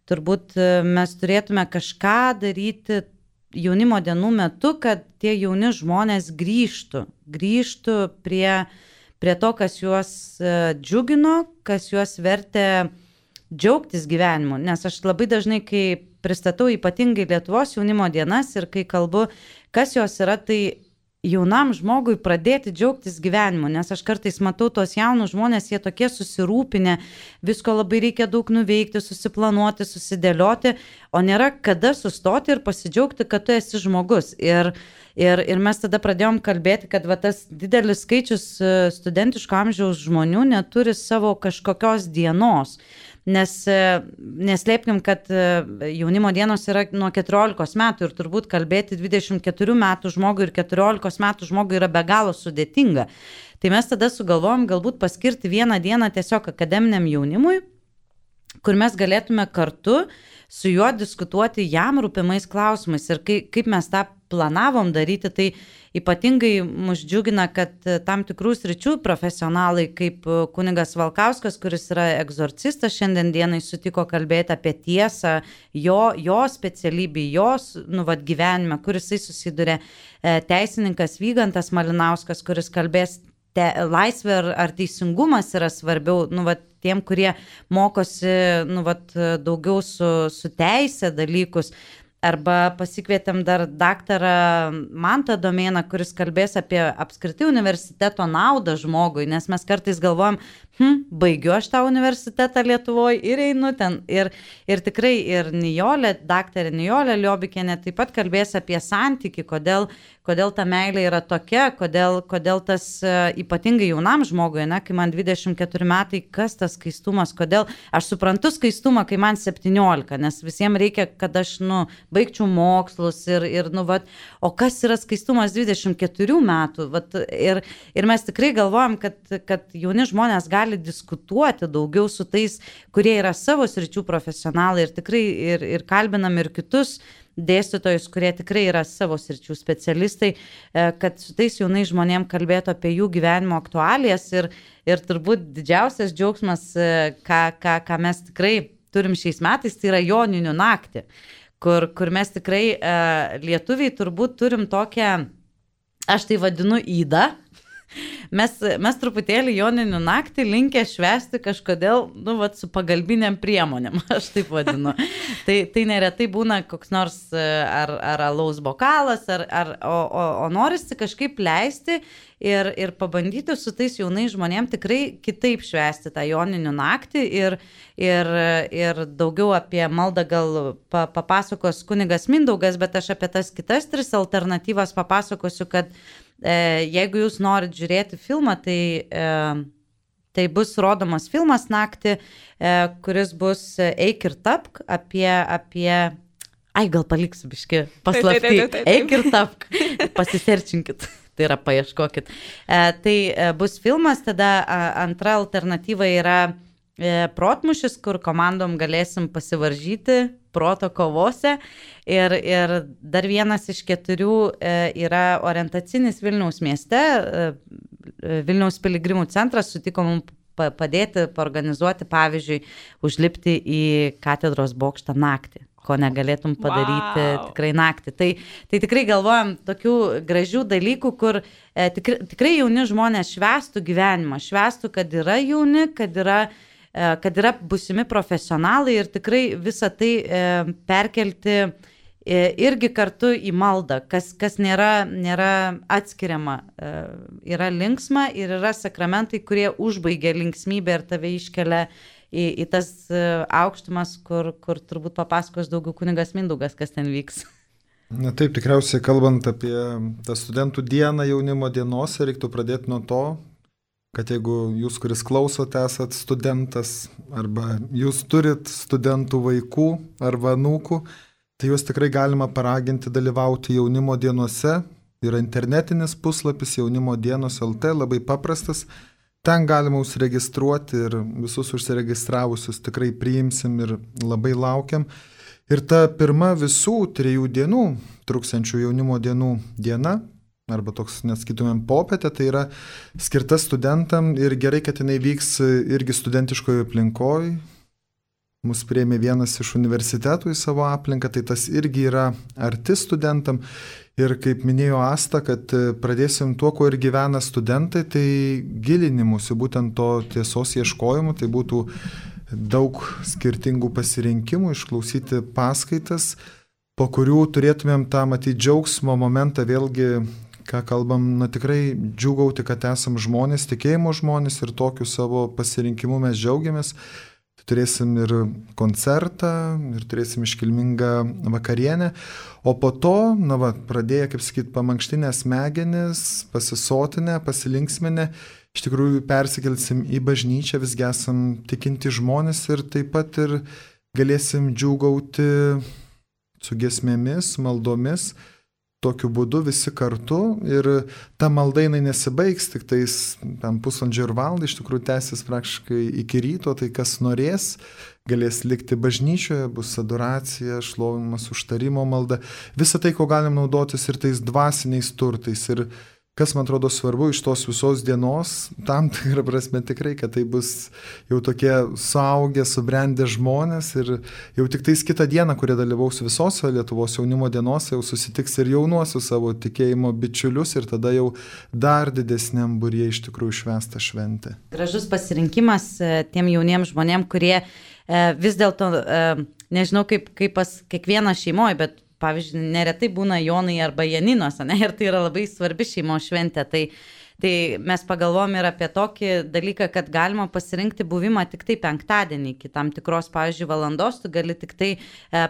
turbūt mes turėtume kažką daryti jaunimo dienų metu, kad tie jauni žmonės grįžtų, grįžtų prie, prie to, kas juos džiugino, kas juos vertė džiaugtis gyvenimu. Nes aš labai dažnai, kai pristatau ypatingai Lietuvos jaunimo dienas ir kai kalbu, kas jos yra, tai jaunam žmogui pradėti džiaugtis gyvenimu, nes aš kartais matau tos jaunus žmonės, jie tokie susirūpinę, visko labai reikia daug nuveikti, susiplanuoti, susidėlioti, o nėra kada sustoti ir pasidžiaugti, kad tu esi žmogus. Ir, ir, ir mes tada pradėjom kalbėti, kad va, tas didelis skaičius studentiško amžiaus žmonių neturi savo kažkokios dienos. Nes neslėpkim, kad jaunimo dienos yra nuo keturiolikos metų ir turbūt kalbėti dvidešimt keturių metų žmogui ir keturiolikos metų žmogui yra be galo sudėtinga. Tai mes tada sugalvojom galbūt paskirti vieną dieną tiesiog akademiniam jaunimui, kur mes galėtume kartu su juo diskutuoti jam rūpimais klausimais. Ir kai, kaip mes tą planavom daryti, tai ypatingai mus džiugina, kad tam tikrų sričių profesionalai, kaip kunigas Valkauskas, kuris yra egzorcistas, šiandien dienai sutiko kalbėti apie tiesą, jo, jo specialybį, jos nu, vat, gyvenime, kur jisai susiduria, teisininkas Vygantas Malinauskas, kuris kalbės te, laisvė ar, ar teisingumas yra svarbiau, nu, vat, tiem, kurie mokosi nu, vat, daugiau su, su teisė dalykus. Arba pasikvietėm dar daktarą Mantą Domėną, kuris kalbės apie apskritai universiteto naudą žmogui, nes mes kartais galvojam, hm, baigiu aš tą universitetą Lietuvoje ir einu ten. Ir, ir tikrai ir Nijolė, daktarė Nijolė Liobikienė taip pat kalbės apie santykį, kodėl, kodėl ta meilė yra tokia, kodėl, kodėl tas ypatingai jaunam žmogui, ne, kai man dvidešimt keturi metai, kas tas skaistumas, kodėl aš suprantu skaistumą, kai man septyniolika, nes visiems reikia, kad aš nu, baigčiau mokslus ir, ir nu, vat, o kas yra skaistumas dvidešimt keturių metų. Vat, ir, ir mes tikrai galvojam, kad, kad jauni žmonės gali diskutuoti daugiau su tais, kurie yra savo sričių profesionalai ir tikrai ir, ir kalbinam ir kitus dėstytojus, kurie tikrai yra savo sričių specialistai, kad su tais jaunais žmonėm kalbėtų apie jų gyvenimo aktualijas ir, ir turbūt didžiausias džiaugsmas, ką, ką, ką mes tikrai turim šiais metais, tai yra Joninių naktį, kur, kur mes tikrai lietuviai turbūt turim tokią, aš tai vadinu įdą. Mes, mes truputėlį Joninių naktį linkę švęsti kažkodėl, nu, vat, su pagalbiniam priemonėm, aš taip vadinu. tai, tai neretai būna koks nors ar, ar alaus bokalas, ar, ar, o, o, o norisi kažkaip leisti ir, ir pabandyti su tais jaunais žmonėm tikrai kitaip švęsti tą Joninių naktį ir, ir, ir daugiau apie maldą gal pa, papasakos kunigas Mindaugas, bet aš apie tas kitas tris alternatyvas papasakosiu, kad jeigu jūs norit žiūrėti filmą, tai, tai bus rodomas filmas naktį, kuris bus Eik ir tapk apie, apie... Ai, gal paliksiu biški paslaptį. Eik ir tapk, pasiserčinkit, tai yra paieškokit. Tai bus filmas, tada antra alternatyva yra protmušis, kur komandom galėsim pasivaržyti proto kovose. Ir, ir dar vienas iš keturių yra orientacinis Vilniaus mieste. Vilniaus piligrimų centras sutiko mums padėti, paorganizuoti, pavyzdžiui, užlipti į katedros bokštą naktį, ko negalėtum padaryti wow. tikrai naktį. Tai, tai tikrai galvojam tokių gražių dalykų, kur e, tikrai, tikrai jauni žmonės švęstų gyvenimą, švęstų, kad yra jauni, kad yra kad yra būsimi profesionalai ir tikrai visą tai e, perkelti e, irgi kartu į maldą, kas, kas nėra, nėra atskiriama. E, yra linksma ir yra sakramentai, kurie užbaigia linksmybę ir tave iškelia į, į tas e, aukštumas, kur, kur turbūt papasakos daugiau kunigas Mindaugas, kas ten vyks. Na taip, tikriausiai kalbant apie tą studentų dieną jaunimo dienos, reiktų pradėti nuo to, kad jeigu jūs, kuris klausote, esat studentas arba jūs turit studentų vaikų arba anūkų, tai juos tikrai galima paraginti dalyvauti jaunimo dienose. Yra internetinis puslapis jaunimo dienos L T, labai paprastas. Ten galima užsiregistruoti ir visus užsiregistravusius tikrai priimsim ir labai laukiam. Ir ta pirma visų trijų dienų, truksančių jaunimo dienų diena, arba toks, nesakytumėm, popietė, tai yra skirta studentam ir gerai, kad jinai vyks irgi studentiškoje aplinkoje. Mus priėmė vienas iš universitetų į savo aplinką, tai tas irgi yra arti studentam. Ir kaip minėjo Asta, kad pradėsim tuo, kuo ir gyvena studentai, tai gilinimusi, būtent to tiesos ieškojimu, tai būtų daug skirtingų pasirinkimų, išklausyti paskaitas, po kurių turėtumėm tą matyti džiaugsmo momentą vėlgi, ką kalbam, na tikrai džiūgauti, kad esam žmonės, tikėjimo žmonės ir tokiu savo pasirinkimu mes džiaugiamės. Turėsim ir koncertą, ir turėsim iškilmingą vakarienę, o po to, na va, pradėję, kaip sakyt, pamankštinę smegenis, pasisotinę, pasilinksminę, iš tikrųjų persikelsim į bažnyčią, visgi esam tikinti žmonės ir taip pat ir galėsim džiūgauti su giesmėmis, maldomis, tokiu būdu visi kartu ir ta malda jinai nesibaigs, tik tais tam pusvalandžio ir valandą, iš tikrųjų tęsis praktiškai iki ryto, tai kas norės, galės likti bažnyčioje, bus adoracija, šlovinimas, užtarimo malda, visą tai, ko galim naudotis ir tais dvasiniais turtais. Ir kas man atrodo svarbu iš tos visos dienos, tam tikrą prasme tikrai, kad tai bus jau tokie suaugę, subrendę žmonės ir jau tik tais kitą dieną, kurie dalyvaus visose Lietuvos jaunimo dienose, jau susitiks ir jaunuosius savo tikėjimo bičiulius ir tada jau dar didesniam būryje iš tikrųjų švęsta šventė. Gražus pasirinkimas tiem jauniems žmonėm, kurie vis dėlto, nežinau kaip, kaip pas kiekvieną šeimoje, bet pavyzdžiui, neretai būna Jonai arba Janinos, ne? Ir tai yra labai svarbi šeimos šventė. Tai, tai mes pagalvom ir apie tokį dalyką, kad galima pasirinkti buvimą tik tai penktadienį, iki tam tikros, pavyzdžiui, valandos, tu gali tik tai e,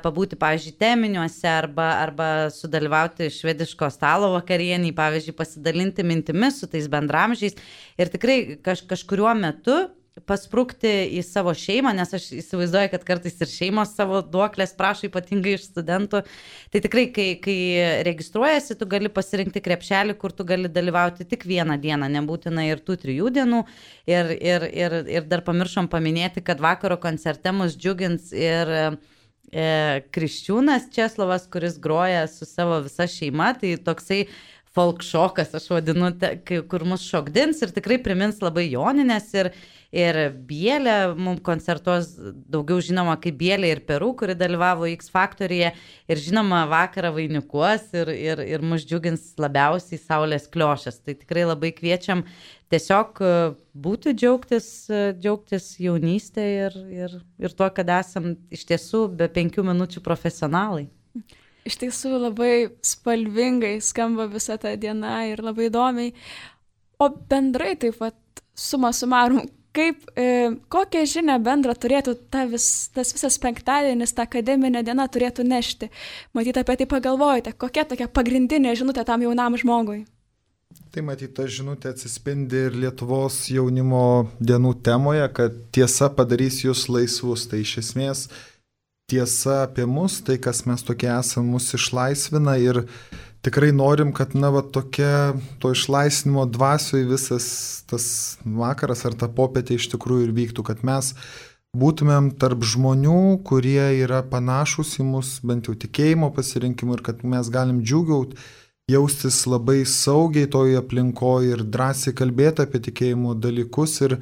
pabūti, pavyzdžiui, teminiuose arba, arba sudalyvauti švediško stalo vakarienį, pavyzdžiui, pasidalinti mintimis su tais bendramžiais. Ir tikrai kaž, kažkuriuo metu pasprūkti į savo šeimą, nes aš įsivaizduoju, kad kartais ir šeimos savo duoklės prašo ypatingai iš studentų. Tai tikrai, kai, kai registruojasi, tu gali pasirinkti krepšelį, kur tu gali dalyvauti tik vieną dieną, nebūtina ir tų trijų dienų. Ir, ir, ir, ir dar pamiršom paminėti, kad vakaro koncerte mus džiugins ir e, Kriščiūnas Česlovas, kuris groja su savo visa šeima. Tai toksai folk šokas, aš vadinu, te, kur mus šokdins ir tikrai primins labai Joninės ir Ir Bielė, mums koncertuos daugiau žinoma kaip Bielė ir Peru, kuri dalyvavo X Faktoryje. Ir žinoma, vakarą vainikuos ir, ir, ir mus džiugins labiausiai Saulės Kliošas. Tai tikrai labai kviečiam tiesiog būti džiaugtis, džiaugtis jaunystė ir, ir, ir tuo, kad esam iš tiesų be penkių minučių profesionalai. Iš tiesų labai spalvingai skamba visa ta diena ir labai įdomiai. O bendrai taip pat suma sumarum, kaip, e, kokią žinią bendrą turėtų ta vis, tas visas penktadienis, ta akademinė diena turėtų nešti? Matyt, apie tai pagalvojate, kokia tokia pagrindinė žinutė tam jaunam žmogui? Tai matyt, ta žinutė atsispindi ir Lietuvos jaunimo dienų temoje, kad tiesa padarys jūs laisvus. Tai iš esmės tiesa apie mus, tai kas mes tokie esame, mus išlaisvina ir tikrai norim, kad na, va, tokia to išlaisvinimo dvasioje visas tas vakaras ar ta popietė iš tikrųjų ir vyktų, kad mes būtumėm tarp žmonių, kurie yra panašus į mus, bent jau tikėjimo pasirinkimų ir kad mes galim džiugiauti, jaustis labai saugiai toje aplinkoje ir drąsiai kalbėti apie tikėjimo dalykus ir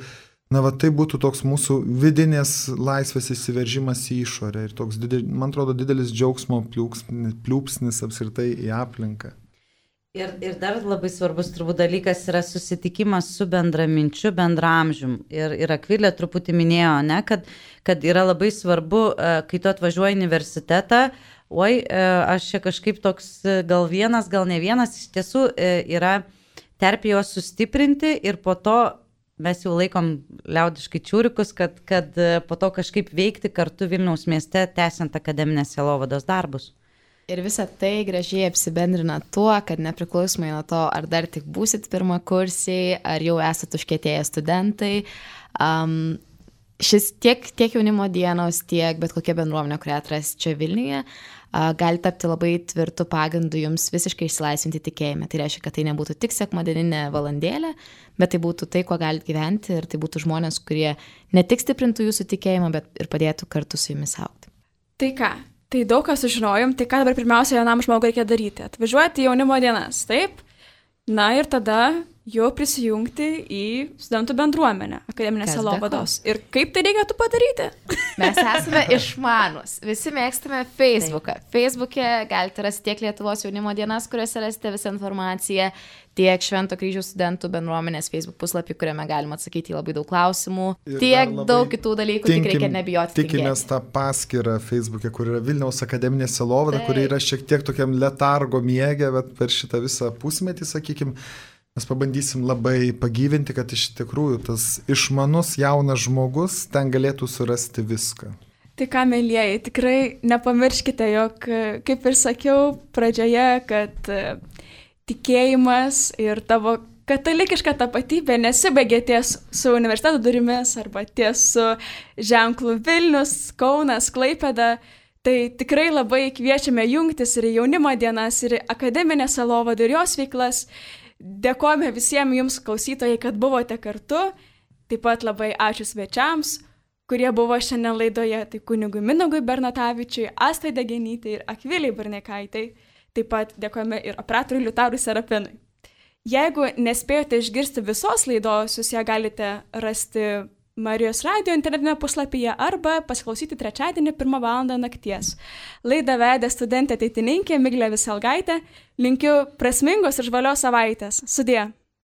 na, va, tai būtų toks mūsų vidinės laisvės įsiveržimas į išorę ir toks, didel, man atrodo, didelis džiaugsmo pliūpsnis, pliūpsnis apskritai į aplinką. Ir, ir dar labai svarbus turbūt dalykas yra susitikimas su bendraminčiu, bendramžium. Ir, ir Akvilė truputį minėjo, ne, kad, kad yra labai svarbu, kai tu atvažiuoji į universitetą, oi, aš čia kažkaip toks gal vienas, gal ne vienas, iš tiesų yra terpė juos sustiprinti ir po to mes jau laikom liaudiškai čiūrikus, kad, kad po to kažkaip veikti kartu Vilniaus mieste, tęsiant akademinės sielovados darbus. Ir visa tai gražiai apsibendrina tuo, kad nepriklausomai nuo to, ar dar tik būsit pirmakursiai, ar jau esat užkietėję studentai, um, šis tiek, tiek jaunimo dienos, tiek bet kokia bendruomenė, kurią atras čia Vilniuje, gali tapti labai tvirtų pagrindų jums visiškai išsilaisvinti tikėjime. Tai reiškia, kad tai nebūtų tik sekmadieninė valandėlė, bet tai būtų tai, kuo galite gyventi ir tai būtų žmonės, kurie ne tik stiprintų jūsų tikėjimą, bet ir padėtų kartu su jumis augti. Tai ką, tai daug ką sužinojom, tai ką dabar pirmiausia jaunam žmogui reikia daryti? Atvažiuoti į jaunimo dienas, taip? Na ir tada jau prisijungti į studentų bendruomenę akademinės sielovados. Ir kaip tai reikėtų padaryti? Mes esame išmanus. Visi mėgstame Facebooką. Facebook'e galite rasti tiek Lietuvos jaunimo dienas, kuriuose rasite visą informaciją, tiek Švento Kryžiaus studentų bendruomenės Facebook puslapį, kuriame galima atsakyti į labai daug klausimų, ir tiek daug kitų dalykų, tinkim, tik reikia nebijoti. Tikimės tą paskyrą Facebook'e, kur yra Vilniaus akademinė sielovada, kuri yra šiek tiek tokiam letargo miege, bet per šitą visą pusmetį, sakykime, mes pabandysim labai pagyvinti, kad iš tikrųjų tas išmanus jaunas žmogus ten galėtų surasti viską. Tai ką, mėlyjeji, tikrai nepamirškite, jog, kaip ir sakiau pradžioje, kad tikėjimas ir tavo katalikiška tapatybė nesibaigia ties su universiteto durimis arba ties su ženklu Vilnius, Kaunas, Klaipėda. Tai tikrai labai kviečiame jungtis ir į jaunimo dienas, ir į akademinę sielovadą ir jos veiklas. Dėkojame visiems jums klausytojai, kad buvote kartu. Taip pat labai ačiū svečiams, kurie buvo šiandien laidoje. Tai kunigui Mindaugui Bernatavičiui, Astai Degenytei ir Akvilei Barnekaitai. Taip pat dėkojame ir operatoriui Liutaurui Serapinui. Jeigu nespėjote išgirsti visos laidos, jūs ją galite rasti Marijos radio internetinėme puslapyje arba pasiklausyti trečiadienį pirmą valandą nakties. Laidą vedė studentė ateitininkė Miglė Viselgaitė. Linkiu prasmingos ir žvalios savaitės. Sudie.